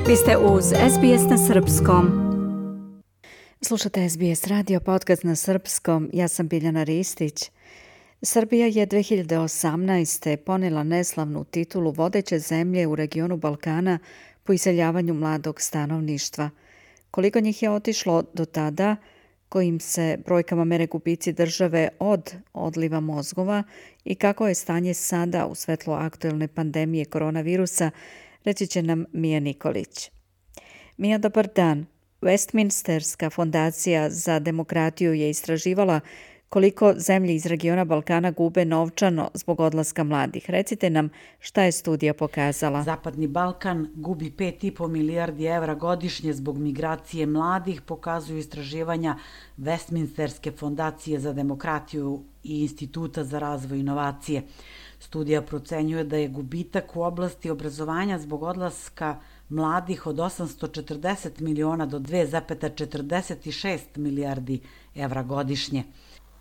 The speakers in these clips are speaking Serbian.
Vi ste uz SBS na Srpskom. Slušate SBS radio podcast na Srpskom. Ja sam Biljana Ristić. Srbija je 2018. ponela neslavnu titulu vodeće zemlje u regionu Balkana po iseljavanju mladog stanovništva. Koliko njih je otišlo do tada, kojim se brojkama mere gubici države od odliva mozgova i kako je stanje sada u svetlu aktuelne pandemije koronavirusa, reći će nam Mija Nikolić. Mija, dobar dan. Westminsterska fondacija za demokratiju je istraživala koliko zemlje iz regiona Balkana gube novčano zbog odlaska mladih. Recite nam šta je studija pokazala. Zapadni Balkan gubi 5,5 milijardi evra godišnje zbog migracije mladih, pokazuju istraživanja Westminsterske fondacije za demokratiju i Instituta za razvoj inovacije. Studija procenjuje da je gubitak u oblasti obrazovanja zbog odlaska mladih od 840 miliona do 2,46 milijardi evra godišnje.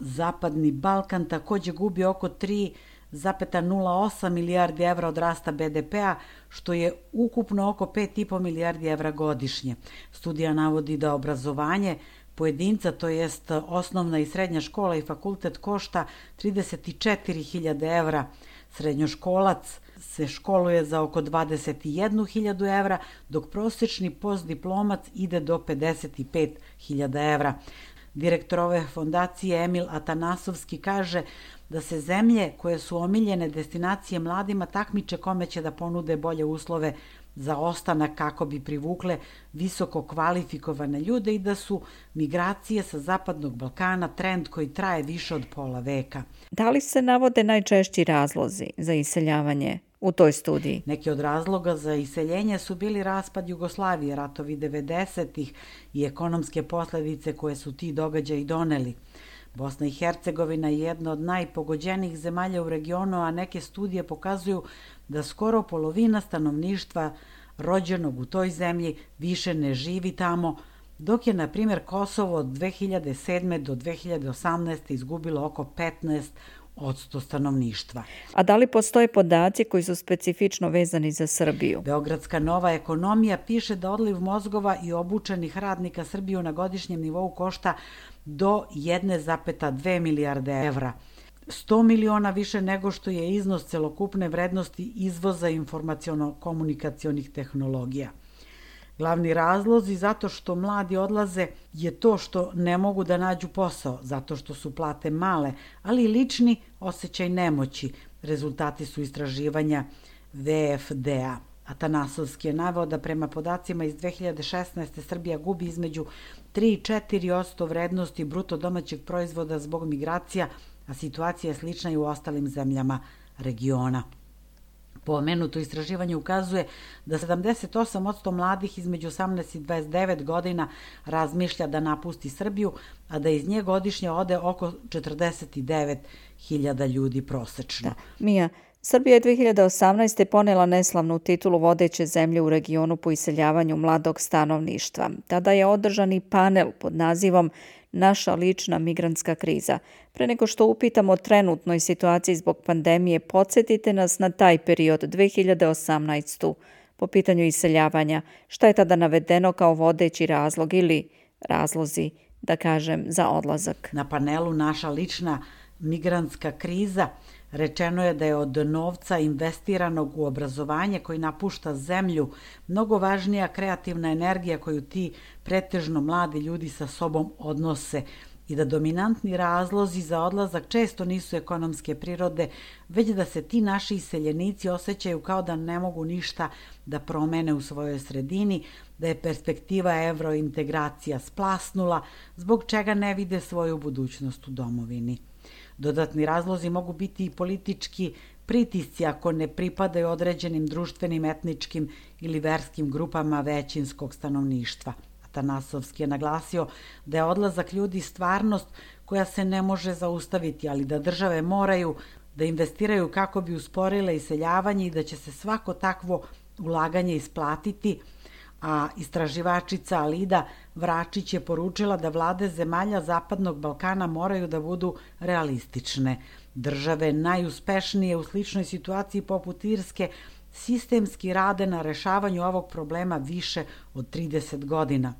Zapadni Balkan također gubi oko 3,08 milijardi evra od rasta BDP-a, što je ukupno oko 5,5 milijardi evra godišnje. Studija navodi da obrazovanje pojedinca, to jest osnovna i srednja škola i fakultet, košta 34.000 evra. Srednjoškolac se školuje za oko 21.000 evra, dok prosječni postdiplomac ide do 55.000 evra. Direktor ove fondacije Emil Atanasovski kaže da se zemlje koje su omiljene destinacije mladima takmiče kome će da ponude bolje uslove za ostanak kako bi privukle visoko kvalifikovane ljude i da su migracije sa Zapadnog Balkana trend koji traje više od pola veka. Da li se navode najčešći razlozi za iseljavanje u toj studiji? Neki od razloga za iseljenje su bili raspad Jugoslavije, ratovi 90-ih i ekonomske posljedice koje su ti događaji doneli. Bosna i Hercegovina je jedna od najpogođenijih zemalja u regionu, a neke studije pokazuju da skoro polovina stanovništva rođenog u toj zemlji više ne živi tamo, dok je, na primjer, Kosovo od 2007. do 2018. izgubilo oko 15% stanovništva. A da li postoje podaci koji su specifično vezani za Srbiju? Beogradska nova ekonomija piše da odliv mozgova i obučenih radnika Srbiju na godišnjem nivou košta do 1,2 milijarde evra. 100 miliona više nego što je iznos celokupne vrednosti izvoza informaciono-komunikacionih tehnologija. Glavni razlozi zato što mladi odlaze je to što ne mogu da nađu posao, zato što su plate male, ali i lični osjećaj nemoći. Rezultati su istraživanja VFD-a. Atanasovski je naveo da prema podacima iz 2016. Srbija gubi između 3 i 4% vrednosti bruto domaćeg proizvoda zbog migracija, a situacija je slična i u ostalim zemljama regiona. Pomenuto istraživanje ukazuje da 78% mladih između 18 i 29 godina razmišlja da napusti Srbiju, a da iz nje godišnje ode oko 49.000 ljudi prosečno. Mija, Srbija je 2018. ponela neslavnu titulu vodeće zemlje u regionu po iseljavanju mladog stanovništva. Tada je održan i panel pod nazivom Naša lična migrantska kriza. Pre nego što upitamo o trenutnoj situaciji zbog pandemije, podsjetite nas na taj period 2018. po pitanju iseljavanja. Šta je tada navedeno kao vodeći razlog ili razlozi, da kažem, za odlazak? Na panelu Naša lična migrantska kriza rečeno je da je od novca investiranog u obrazovanje koji napušta zemlju mnogo važnija kreativna energija koju ti pretežno mladi ljudi sa sobom odnose i da dominantni razlozi za odlazak često nisu ekonomske prirode, već da se ti naši iseljenici osjećaju kao da ne mogu ništa da promene u svojoj sredini, da je perspektiva evrointegracija splasnula, zbog čega ne vide svoju budućnost u domovini. Dodatni razlozi mogu biti i politički pritisci ako ne pripadaju određenim društvenim, etničkim ili verskim grupama većinskog stanovništva. Atanasovski je naglasio da je odlazak ljudi stvarnost koja se ne može zaustaviti, ali da države moraju da investiraju kako bi usporile iseljavanje i da će se svako takvo ulaganje isplatiti, a istraživačica Alida Vračić je poručila da vlade zemalja Zapadnog Balkana moraju da budu realistične. Države najuspešnije u sličnoj situaciji poput Irske sistemski rade na rešavanju ovog problema više od 30 godina.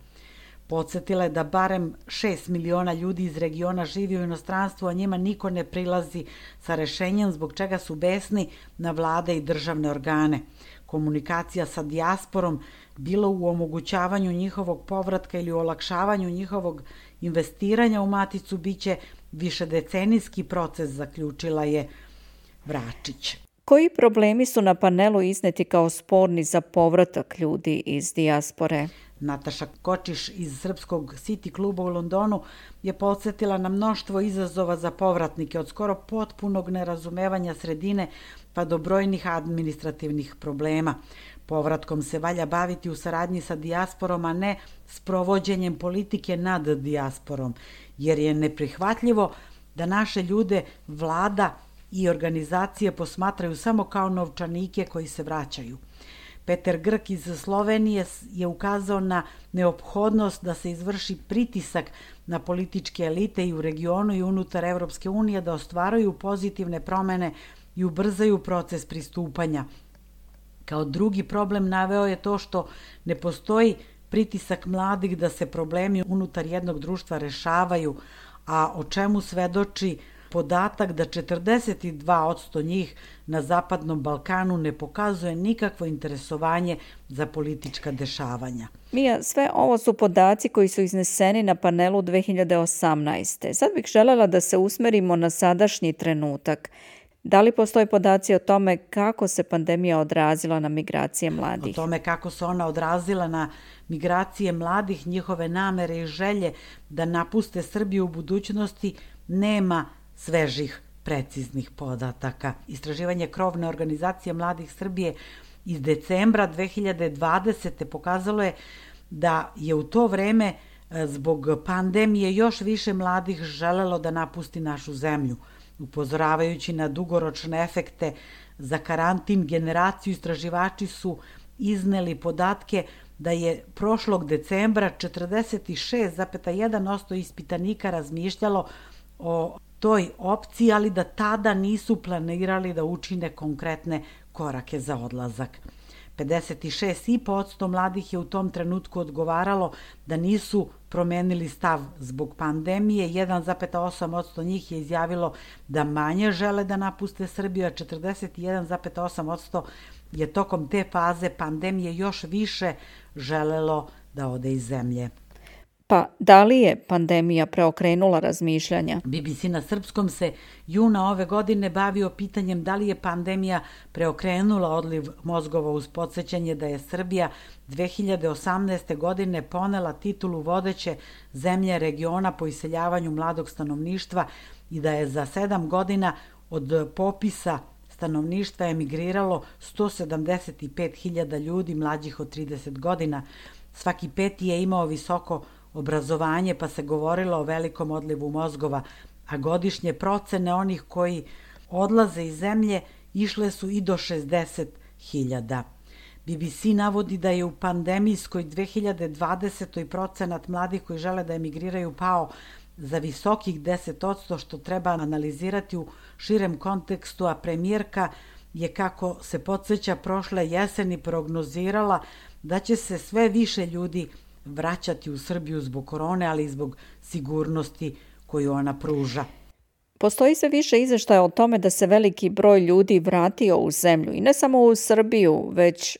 Podsjetila je da barem 6 miliona ljudi iz regiona živi u inostranstvu, a njima niko ne prilazi sa rešenjem zbog čega su besni na vlade i državne organe. Komunikacija sa dijasporom, bilo u omogućavanju njihovog povratka ili u olakšavanju njihovog investiranja u maticu, biće višedecenijski proces, zaključila je Vračić. Koji problemi su na panelu izneti kao sporni za povratak ljudi iz dijaspore? Nataša Kočiš iz Srpskog City kluba u Londonu je podsjetila na mnoštvo izazova za povratnike, od skoro potpunog nerazumevanja sredine pa do brojnih administrativnih problema. Povratkom se valja baviti u saradnji sa dijasporom, a ne s provođenjem politike nad dijasporom, jer je neprihvatljivo da naše ljude vlada i organizacije posmatraju samo kao novčanike koji se vraćaju. Peter Grk iz Slovenije je ukazao na neophodnost da se izvrši pritisak na političke elite i u regionu i unutar Evropske unije da ostvaruju pozitivne promene i ubrzaju proces pristupanja. Kao drugi problem naveo je to što ne postoji pritisak mladih da se problemi unutar jednog društva rešavaju, a o čemu svedoči podatak da 42% njih na Zapadnom Balkanu ne pokazuje nikakvo interesovanje za politička dešavanja. Mija, sve ovo su podaci koji su izneseni na panelu 2018. Sad bih želela da se usmerimo na sadašnji trenutak. Da li postoje podaci o tome kako se pandemija odrazila na migracije mladih? O tome kako se ona odrazila na migracije mladih, njihove namere i želje da napuste Srbiju u budućnosti nema svežih, preciznih podataka. Istraživanje krovne organizacije mladih Srbije iz decembra 2020. pokazalo je da je u to vreme zbog pandemije još više mladih želelo da napusti našu zemlju. Upozoravajući na dugoročne efekte za karantin, generaciju istraživači su izneli podatke da je prošlog decembra 46,1% ispitanika razmišljalo o toj opciji, ali da tada nisu planirali da učine konkretne korake za odlazak. 56,5% mladih je u tom trenutku odgovaralo da nisu promenili stav zbog pandemije, 1,8% njih je izjavilo da manje žele da napuste Srbiju, a 41,8% je tokom te faze pandemije još više želelo da ode iz zemlje. Pa da li je pandemija preokrenula razmišljanja? BBC na srpskom se juna ove godine bavio pitanjem da li je pandemija preokrenula odliv mozgova uz podsjećanje da je Srbija 2018. godine ponela titulu vodeće zemlje regiona po iseljavanju mladog stanovništva i da je za 7 godina od popisa stanovništva emigriralo 175.000 ljudi mlađih od 30 godina. Svaki peti je imao visoko obrazovanje, pa se govorilo o velikom odlivu mozgova, a godišnje procene onih koji odlaze iz zemlje išle su i do 60.000. BBC navodi da je u pandemijskoj 2020. procenat mladih koji žele da emigriraju pao za visokih 10%, što treba analizirati u širem kontekstu, a premijerka je, kako se podsjeća, prošle jeseni prognozirala da će se sve više ljudi vraćati u Srbiju zbog korone, ali i zbog sigurnosti koju ona pruža. Postoji sve više izveštaja o tome da se veliki broj ljudi vratio u zemlju i ne samo u Srbiju, već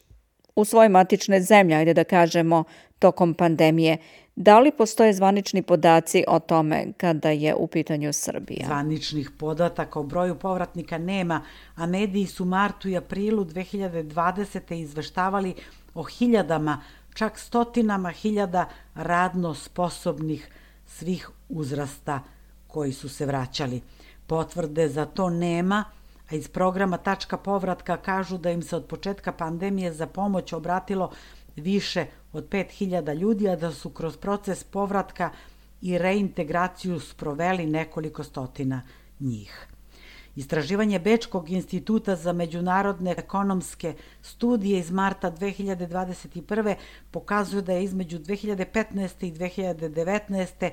u svoje matične zemlje, ajde da kažemo, tokom pandemije. Da li postoje zvanični podaci o tome kada je u pitanju Srbija? Zvaničnih podataka o broju povratnika nema, a mediji su martu i aprilu 2020. izveštavali o hiljadama, čak stotinama hiljada radno sposobnih svih uzrasta koji su se vraćali. Potvrde za to nema, a iz programa Tačka povratka kažu da im se od početka pandemije za pomoć obratilo više od 5.000 ljudi, a da su kroz proces povratka i reintegraciju sproveli nekoliko stotina njih. Istraživanje Bečkog instituta za međunarodne ekonomske studije iz marta 2021. pokazuje da je između 2015. i 2019.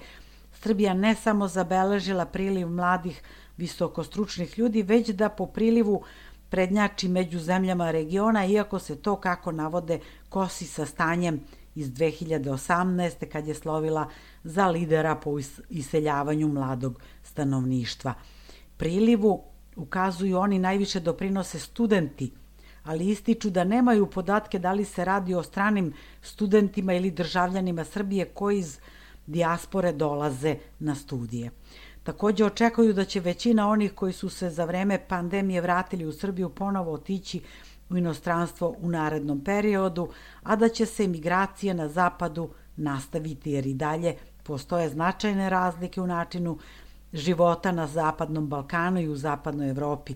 Srbija ne samo zabeležila priliv mladih visokostručnih ljudi, već da po prilivu prednjači među zemljama regiona, iako se to, kako navode, kosi sa stanjem iz 2018. kad je slovila za lidera po iseljavanju mladog stanovništva. Prilivu, ukazuju oni, najviše doprinose studenti, ali ističu da nemaju podatke da li se radi o stranim studentima ili državljanima Srbije koji iz dijaspore dolaze na studije. Takođe očekuju da će većina onih koji su se za vreme pandemije vratili u Srbiju ponovo otići u inostranstvo u narednom periodu, a da će se migracije na zapadu nastaviti jer i dalje postoje značajne razlike u načinu života na Zapadnom Balkanu i u Zapadnoj Evropi.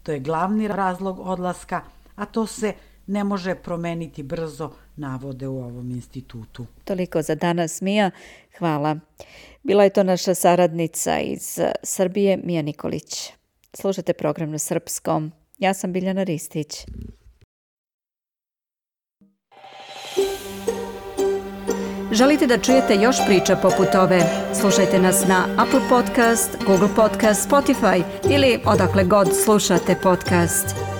To je glavni razlog odlaska, a to se ne može promeniti brzo, navode u ovom institutu. Toliko za danas, Mija. Hvala. Bila je to naša saradnica iz Srbije, Mija Nikolić. Slušate program na srpskom. Ja sam Biljana Ristić. Želite da čujete još priča poput ove? Slušajte nas na Apple Podcast, Google Podcast, Spotify ili odakle god slušate podcast.